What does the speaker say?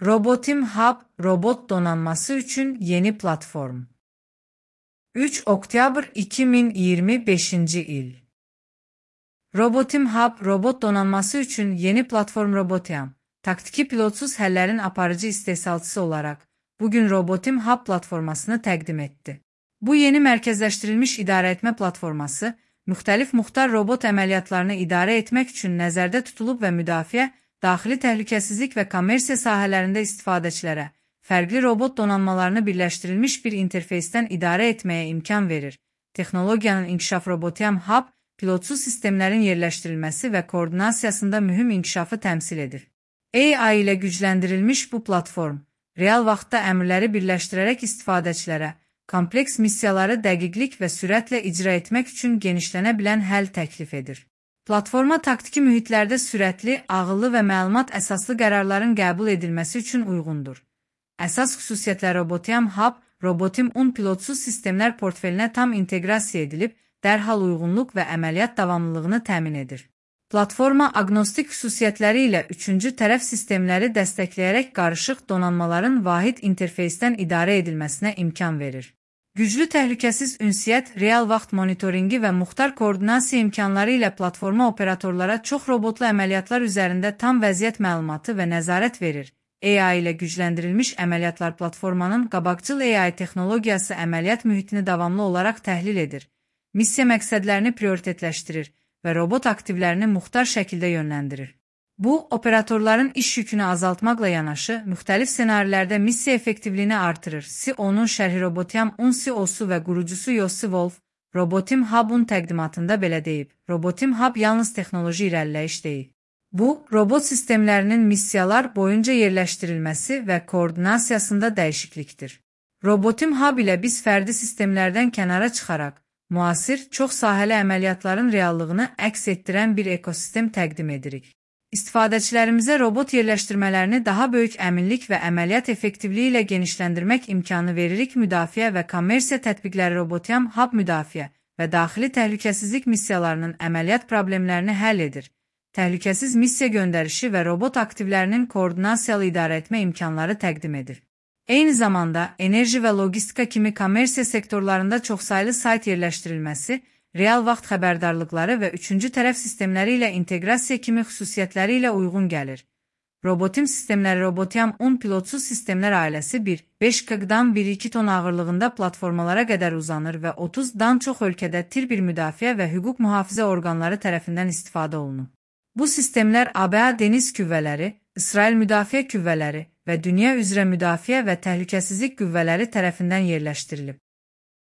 Robotim Hub, robot donanması üçün yeni platform. 3 oktyabr 2025 il. Robotim Hub, robot donanması üçün yeni platform Robotiam, taktiki pilotsuz həllərin aparıcı istehsalçısı olaraq, bugün Robotim Hub platformasını təqdim etdi. Bu yeni mərkəzləşdirilmiş idarəetmə platforması, müxtəlif muxtar robot əməliyyatlarını idarə etmək üçün nəzərdə tutulub və müdafiə, daxili təhlükəsizlik və kommersiya sahələrində istifadəçilərə, fərqli robot donanmalarını birləşdirilmiş bir interfeysdən idarə etməyə imkan verir. Texnologiyanın inkişaf Robotiam Hub, pilotsuz sistemlərin yerləşdirilməsi və koordinasiyasında mühüm inkişafı təmsil edir. AI ilə gücləndirilmiş bu platform, real vaxtda əmrləri birləşdirərək istifadəçilərə, kompleks missiyaları dəqiqlik və sürətlə icra etmək üçün genişlənə bilən həll təklif edir. Platforma taktiki mühitlərdə sürətli, ağıllı və məlumat əsaslı qərarların qəbul edilməsi üçün uyğundur. Əsas xüsusiyyətlər Robotiam Hub, Robotim 10 pilotsuz sistemlər portfelinə tam inteqrasiya edilib, dərhal uyğunluq və əməliyyat davamlılığını təmin edir. Platforma aqnostik xüsusiyyətləri ilə üçüncü tərəf sistemləri dəstəkləyərək qarışıq donanmaların vahid interfeysdən idarə edilməsinə imkan verir. Güclü təhlükəsiz ünsiyyət, real vaxt monitoringi və muxtar koordinasiya imkanları ilə platforma operatorlara çox robotlu əməliyyatlar üzərində tam vəziyyət məlumatı və nəzarət verir. AI ilə gücləndirilmiş əməliyyatlar platformanın qabaqcıl AI texnologiyası əməliyyat mühitini davamlı olaraq təhlil edir, missiya məqsədlərini prioritetləşdirir və robot aktivlərini muxtar şəkildə yönləndirir. Bu, operatorların iş yükünü azaltmaqla yanaşı, müxtəlif ssenarilərdə missiya effektivliyini artırır. CEO-nun şərhi Robotiam 10 CEO-su və qurucusu Yossi Wolf, Robotim Hub-un təqdimatında belə deyib. Robotim Hub yalnız texnoloji irəliləyiş deyil. Bu, robot sistemlərinin missiyalar boyunca yerləşdirilməsi və koordinasiyasında dəyişiklikdir. Robotim Hub ilə biz fərdi sistemlərdən kənara çıxaraq, müasir, çox sahəli əməliyyatların reallığını əks etdirən bir ekosistem təqdim edirik. İstifadəçilərimizə robot yerləşdirmələrini daha böyük əminlik və əməliyyat effektivliyi ilə genişləndirmək imkanı veririk. Müdafiə və kommersiya tətbiqləri Robotiam Hub müdafiə və daxili təhlükəsizlik missiyalarının əməliyyat problemlərini həll edir. Təhlükəsiz missiya göndərişi və robot aktivlərinin koordinasiyalı idarə etmə imkanları təqdim edir. Eyni zamanda, enerji və logistika kimi kommersiya sektorlarında çoxsaylı sayt yerləşdirilməsi, real vaxt xəbərdarlıqları və üçüncü tərəf sistemləri ilə inteqrasiya kimi xüsusiyyətləri ilə uyğun gəlir. Robotim sistemləri Robotiam 10 pilotsuz sistemlər ailəsi 5 kg-dan 1-2 ton ağırlığında platformalara qədər uzanır və 30-dan çox ölkədə tir bir müdafiə və hüquq mühafizə orqanları tərəfindən istifadə olunur. Bu sistemlər ABA Dəniz Qüvvələri, İsrail Müdafiə Qüvvələri və dünya üzrə müdafiə və təhlükəsizlik qüvvələri tərəfindən yerləşdirilib.